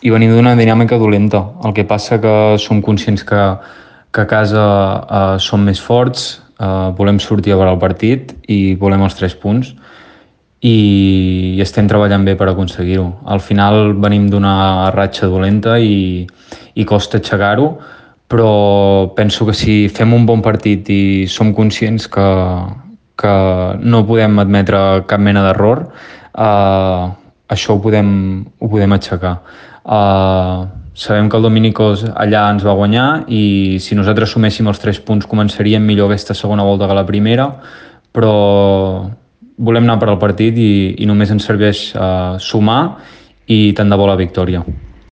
i venim d'una dinàmica dolenta. El que passa que som conscients que a casa som més forts, volem sortir a veure el partit i volem els 3 punts i estem treballant bé per aconseguir-ho. Al final venim d'una ratxa dolenta i costa aixecar-ho, però penso que si fem un bon partit i som conscients que no podem admetre cap mena d'error, això ho podem aixecar. Sabem que el Dominicos allà ens va guanyar i si nosaltres suméssim els 3 punts començaríem millor aquesta segona volta que la primera, però volem anar per al partit i només ens serveix sumar i tant de bo la victòria.